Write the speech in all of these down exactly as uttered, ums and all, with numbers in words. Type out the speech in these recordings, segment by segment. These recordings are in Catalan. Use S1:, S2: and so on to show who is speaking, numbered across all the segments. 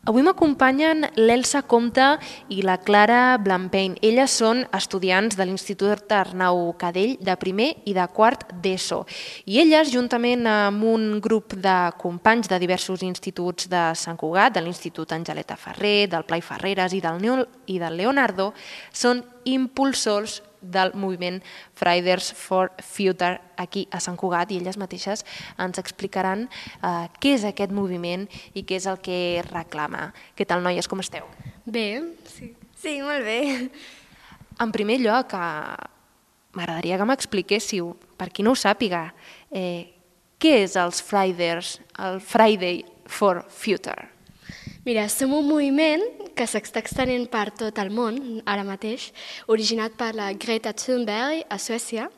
S1: Avui m'acompanyen l'Elsa Compte i la Clara Blampain. Elles són estudiants de l'Institut Arnau Cadell de primer i de quart d'ESO. I elles, juntament amb un grup de companys de diversos instituts de Sant Cugat, de l'Institut Angeleta Ferrer, del Pla i Ferreres i del, Neo, i del Leonardo, són impulsors del moviment Fridays for Future aquí a Sant Cugat, i elles mateixes ens explicaran eh, què és aquest moviment i què és el que reclama. Què tal, noies, com esteu?
S2: Bé, sí.
S3: Sí, molt bé.
S1: En primer lloc, eh, m'agradaria que m'expliquéssiu, per qui no ho sàpiga, eh, què és els Fridays, el Friday for Future?
S2: Mira, som un moviment que s'està extenent per tot el món, ara mateix, originat per la Greta Thunberg a Suècia,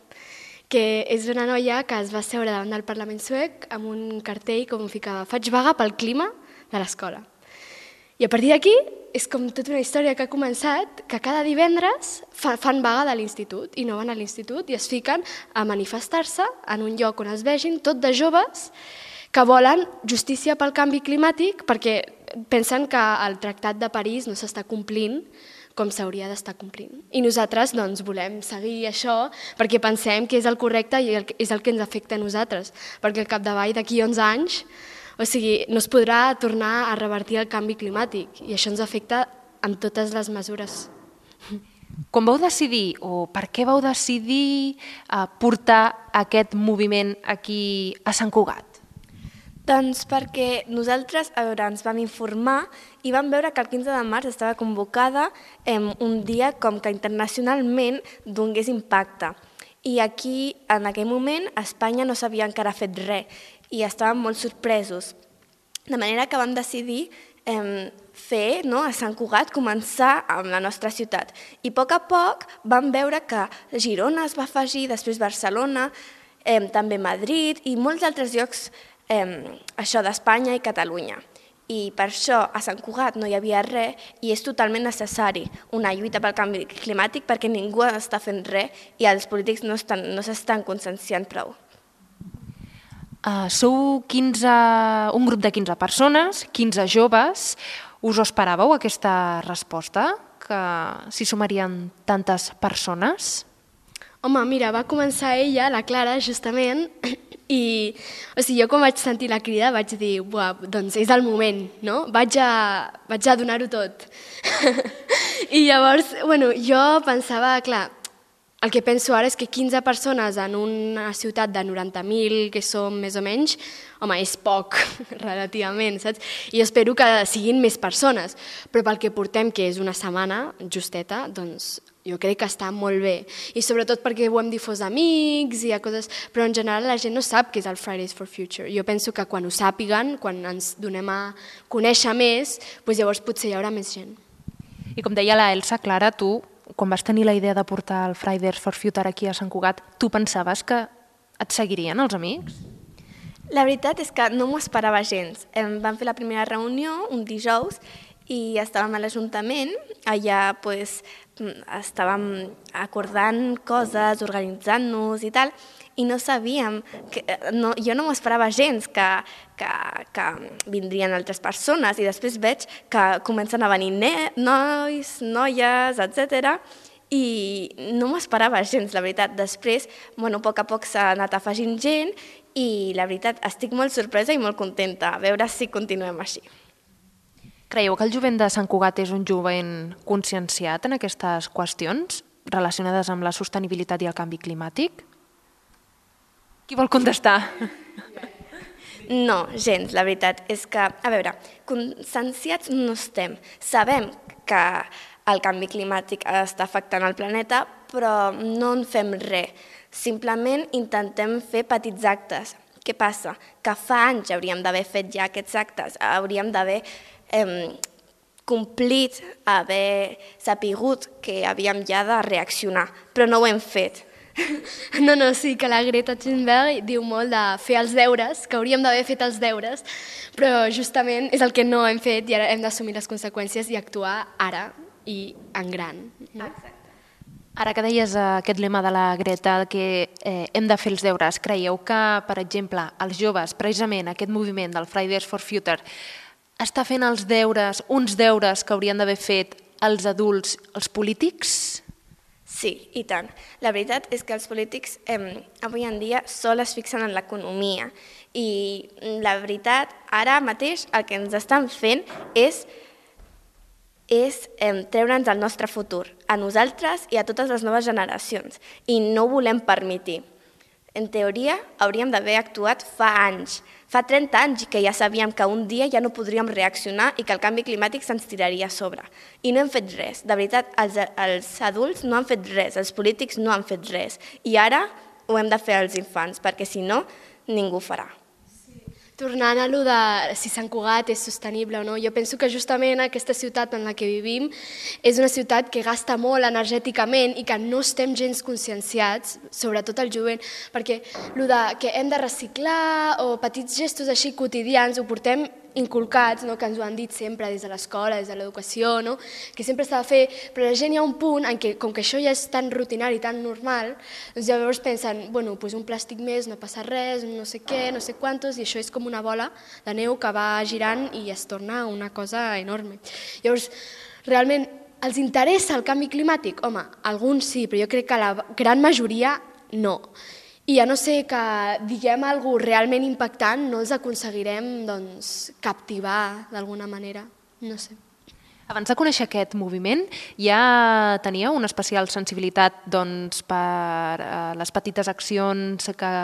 S2: que és una noia que es va seure davant del Parlament suec amb un cartell com ficava «Faig vaga pel clima de l'escola». I a partir d'aquí és com tota una història que ha començat, que cada divendres fa, fan vaga de l'institut i no van a l'institut i es fiquen a manifestar-se en un lloc on es vegin tot de joves que volen justícia pel canvi climàtic perquè pensen que el Tractat de París no s'està complint com s'hauria d'estar complint. I nosaltres doncs, volem seguir això perquè pensem que és el correcte i és el que ens afecta a nosaltres, perquè al capdavall d'aquí onze anys o sigui, no es podrà tornar a revertir el canvi climàtic i això ens afecta amb totes les mesures.
S1: Com vau decidir o per què vau decidir eh, portar aquest moviment aquí a Sant Cugat?
S3: Doncs perquè nosaltres a veure, ens vam informar i vam veure que el quinze de març estava convocada eh, un dia com que internacionalment donés impacte. I aquí, en aquell moment, a Espanya no s'havia encara fet res i estàvem molt sorpresos. De manera que vam decidir eh, fer no, a Sant Cugat, començar amb la nostra ciutat. I a poc a poc vam veure que Girona es va afegir, després Barcelona, eh, també Madrid i molts altres llocs Eh, això d'Espanya i Catalunya. I per això a Sant Cugat no hi havia res i és totalment necessari una lluita pel canvi climàtic perquè ningú està fent res i els polítics no estan, no s'estan conscienciant prou.
S1: Uh, sou quinze, un grup de quinze persones, quinze joves. Us ho esperàveu, aquesta resposta? Que s'hi sumarien tantes persones?
S2: Home, mira, va començar ella, la Clara, justament, i o sigui, jo quan vaig sentir la crida vaig dir, buah, doncs és el moment, no? Vaig a, vaig a donar-ho tot. I llavors, bueno, jo pensava, clar, el que penso ara és que quinze persones en una ciutat de noranta mil, que som més o menys, home, és poc, relativament, saps? I jo espero que siguin més persones, però pel que portem, que és una setmana justeta, doncs jo crec que està molt bé. I sobretot perquè ho hem difós amics i a coses... Però en general la gent no sap què és el Fridays for Future. Jo penso que quan ho sàpiguen, quan ens donem a conèixer més, doncs llavors potser hi haurà més gent.
S1: I com deia la Elsa, Clara, tu, quan vas tenir la idea de portar el Fridays for Future aquí a Sant Cugat, tu pensaves que et seguirien els amics?
S3: La veritat és que no m'ho esperava gens. Vam fer la primera reunió un dijous i estàvem a l'Ajuntament, allà pues, estàvem acordant coses, organitzant-nos i tal, i no sabíem, que, no, jo no m'ho esperava gens que, que, que vindrien altres persones i després veig que comencen a venir nois, noies, etcètera. I no m'ho esperava gens, la veritat. Després, bueno, a poc a poc s'ha anat afegint gent i la veritat estic molt sorpresa i molt contenta, a veure si continuem així.
S1: Creieu que el jovent de Sant Cugat és un jovent conscienciat en aquestes qüestions relacionades amb la sostenibilitat i el canvi climàtic? Qui vol contestar?
S3: No, gens, la veritat. És que, a veure, conscienciats no estem. Sabem que el canvi climàtic està afectant el planeta, però no en fem res. Simplement intentem fer petits actes. Què passa? Que fa anys hauríem d'haver fet ja aquests actes, hauríem d'haver eh, complit, haver sapigut que havíem ja de reaccionar, però no ho hem fet.
S2: No, no, sí, que la Greta Thunberg diu molt de fer els deures, que hauríem d'haver fet els deures, però justament és el que no hem fet i ara hem d'assumir les conseqüències i actuar ara i en gran.
S3: Exacte.
S1: Ara que deies aquest lema de la Greta, que eh, hem de fer els deures, creieu que, per exemple, els joves, precisament aquest moviment del Fridays for Future, està fent els deures, uns deures que haurien d'haver fet els adults, els polítics?
S3: Sí, i tant. La veritat és que els polítics eh, avui en dia sol es fixen en l'economia i la veritat, ara mateix el que ens estan fent és, és eh, treure'ns el nostre futur, a nosaltres i a totes les noves generacions, i no ho volem permetre. En teoria, hauríem d'haver actuat fa anys, fa trenta anys que ja sabíem que un dia ja no podríem reaccionar i que el canvi climàtic se'ns tiraria a sobre. I no hem fet res. De veritat, els, els adults no han fet res, els polítics no han fet res. I ara ho hem de fer als infants, perquè si no, ningú ho farà.
S2: Tornant a allò de si Sant Cugat és sostenible o no, jo penso que justament aquesta ciutat en la que vivim és una ciutat que gasta molt energèticament i que no estem gens conscienciats, sobretot el jovent, perquè allò de que hem de reciclar o petits gestos així quotidians ho portem inculcats, no? Que ens ho han dit sempre des de l'escola, des de l'educació, no? Que sempre s'ha de fer, però la gent hi ha un punt en què, com que això ja és tan rutinari, tan normal, doncs llavors pensen, bueno, doncs un plàstic més, no passa res, no sé què, no sé quantos, i això és com una bola de neu que va girant i es torna una cosa enorme. Llavors, realment, els interessa el canvi climàtic? Home, alguns sí, però jo crec que la gran majoria no. I a no ser que diguem alguna cosa realment impactant, no els aconseguirem doncs, captivar d'alguna manera, no sé.
S1: Abans de conèixer aquest moviment, ja teníeu una especial sensibilitat doncs, per eh, les petites accions que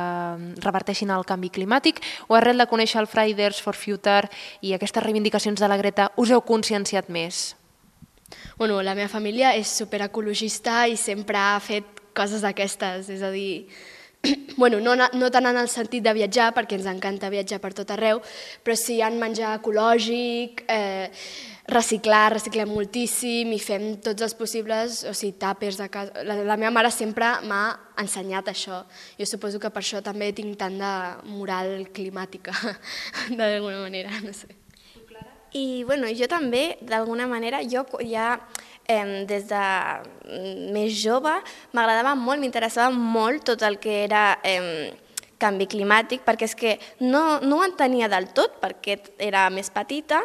S1: reverteixin el canvi climàtic, o arrel de conèixer el Fridays for Future i aquestes reivindicacions de la Greta us heu conscienciat més?
S2: Bueno, la meva família és superecologista i sempre ha fet coses d'aquestes, és a dir, bueno, no, no tant en el sentit de viatjar, perquè ens encanta viatjar per tot arreu, però sí en menjar ecològic, eh, reciclar, reciclem moltíssim i fem tots els possibles, o sigui, tàpers de casa. La, la meva mare sempre m'ha ensenyat això. Jo suposo que per això també tinc tant de moral climàtica, d'alguna manera, no sé.
S3: I bueno, jo també, d'alguna manera, jo ja eh, des de més jove m'agradava molt, m'interessava molt tot el que era eh, canvi climàtic, perquè és que no, no ho entenia del tot, perquè era més petita,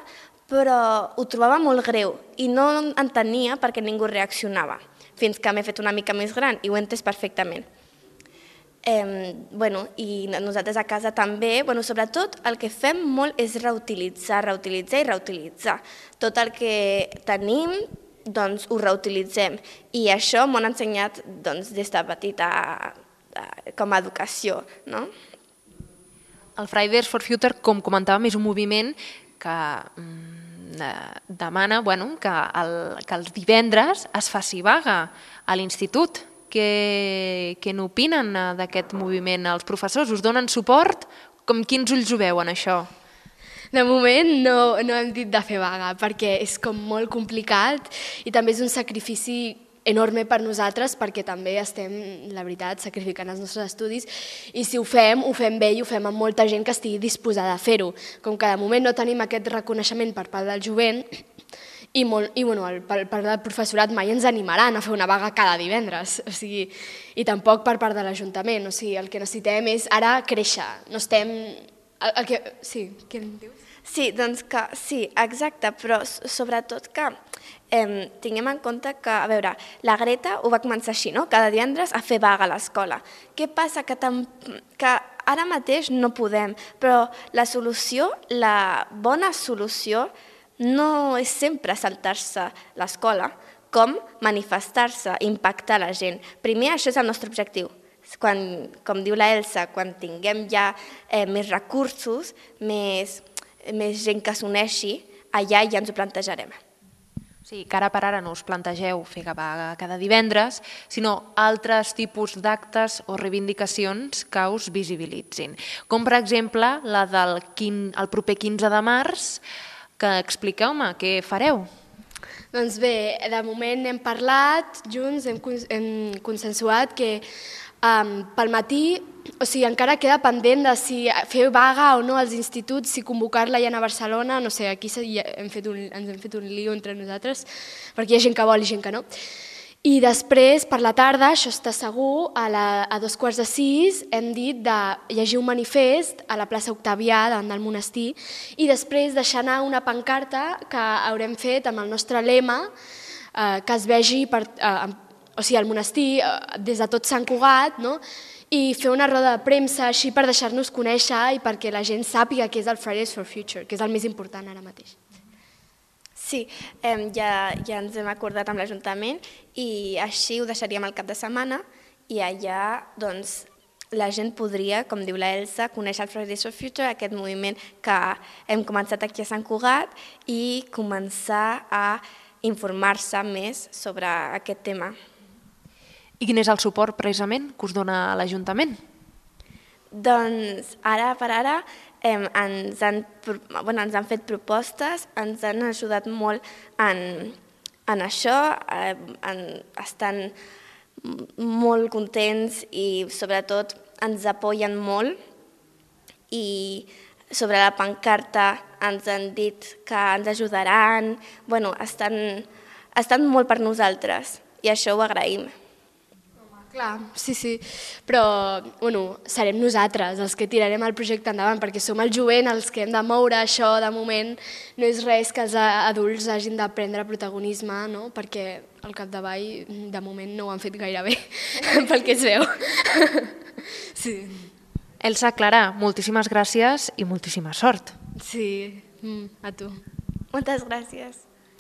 S3: però ho trobava molt greu i no entenia perquè ningú reaccionava, fins que m'he fet una mica més gran i ho he entès perfectament. Eh, bueno, i nosaltres a casa també, bueno, sobretot el que fem molt és reutilitzar, reutilitzar i reutilitzar. Tot el que tenim, doncs ho reutilitzem. I això m'ho han ensenyat doncs, des de petita com a educació, no?
S1: El Fridays for Future, com comentàvem, és un moviment que mm, demana bueno, que, el, que els divendres es faci vaga a l'institut. Què, què n'opinen d'aquest moviment? Els professors us donen suport? Com quins ulls ho veuen, això?
S2: De moment no, no hem dit de fer vaga, perquè és com molt complicat i també és un sacrifici enorme per nosaltres, perquè també estem, la veritat, sacrificant els nostres estudis, i si ho fem, ho fem bé i ho fem amb molta gent que estigui disposada a fer-ho. Com que de moment no tenim aquest reconeixement per part del jovent, i, molt, i bueno, el, per part del professorat mai ens animaran a fer una vaga cada divendres, o sigui, i tampoc per part de l'Ajuntament, o sigui, el que necessitem és ara créixer, no estem... El, el que, sí, què em dius?
S3: Sí, doncs que sí, exacte, però sobretot que eh, tinguem en compte que, a veure, la Greta ho va començar així, no? Cada divendres a fer vaga a l'escola. Què passa? Que, tam, que ara mateix no podem, però la solució, la bona solució, no és sempre saltar-se l'escola, com manifestar-se, impactar la gent. Primer, això és el nostre objectiu. Quan, com diu la Elsa, quan tinguem ja eh, més recursos, més, més gent que s'uneixi, allà ja ens ho plantejarem.
S1: Sí, que ara per ara no us plantegeu fer vaga cada divendres, sinó altres tipus d'actes o reivindicacions que us visibilitzin. Com, per exemple, la del quin, el proper quinze de març, que expliqueu-me què fareu.
S2: Doncs bé, de moment hem parlat junts, hem, hem consensuat que um, pel matí, o sigui, encara queda pendent de si fer vaga o no als instituts, si convocar-la ja a Barcelona, no sé, aquí hem fet un, ens hem fet un lío entre nosaltres, perquè hi ha gent que vol i gent que no. I després, per la tarda, això està segur, a, la, a dos quarts de sis hem dit de llegir un manifest a la plaça Octavià, davant del monestir, i després deixar anar una pancarta que haurem fet amb el nostre lema, eh, que es vegi per, eh, o sigui, al monestir, eh, des de tot Sant Cugat, no? I fer una roda de premsa així per deixar-nos conèixer i perquè la gent sàpiga què és el Fridays for Future, que és el més important ara mateix.
S3: Sí, eh, ja, ja ens hem acordat amb l'Ajuntament i així ho deixaríem al cap de setmana i allà doncs, la gent podria, com diu la Elsa, conèixer el Fridays for Future, aquest moviment que hem començat aquí a Sant Cugat i començar a informar-se més sobre aquest tema.
S1: I quin és el suport precisament que us dona l'Ajuntament?
S3: Doncs ara per ara eh, ens, han, bueno, ens han fet propostes, ens han ajudat molt en, en això, eh, en, estan molt contents i sobretot ens apoyen molt i sobre la pancarta ens han dit que ens ajudaran, bueno, estan, estan molt per nosaltres i això ho agraïm.
S2: Clar, sí, sí, però bueno, serem nosaltres els que tirarem el projecte endavant perquè som el jovent els que hem de moure això de moment, no és res que els adults hagin de prendre protagonisme, no? Perquè al capdavall de moment no ho han fet gaire bé, pel que es veu. Sí.
S1: Elsa, Clara, moltíssimes gràcies i moltíssima sort.
S2: Sí, a tu.
S3: Moltes gràcies.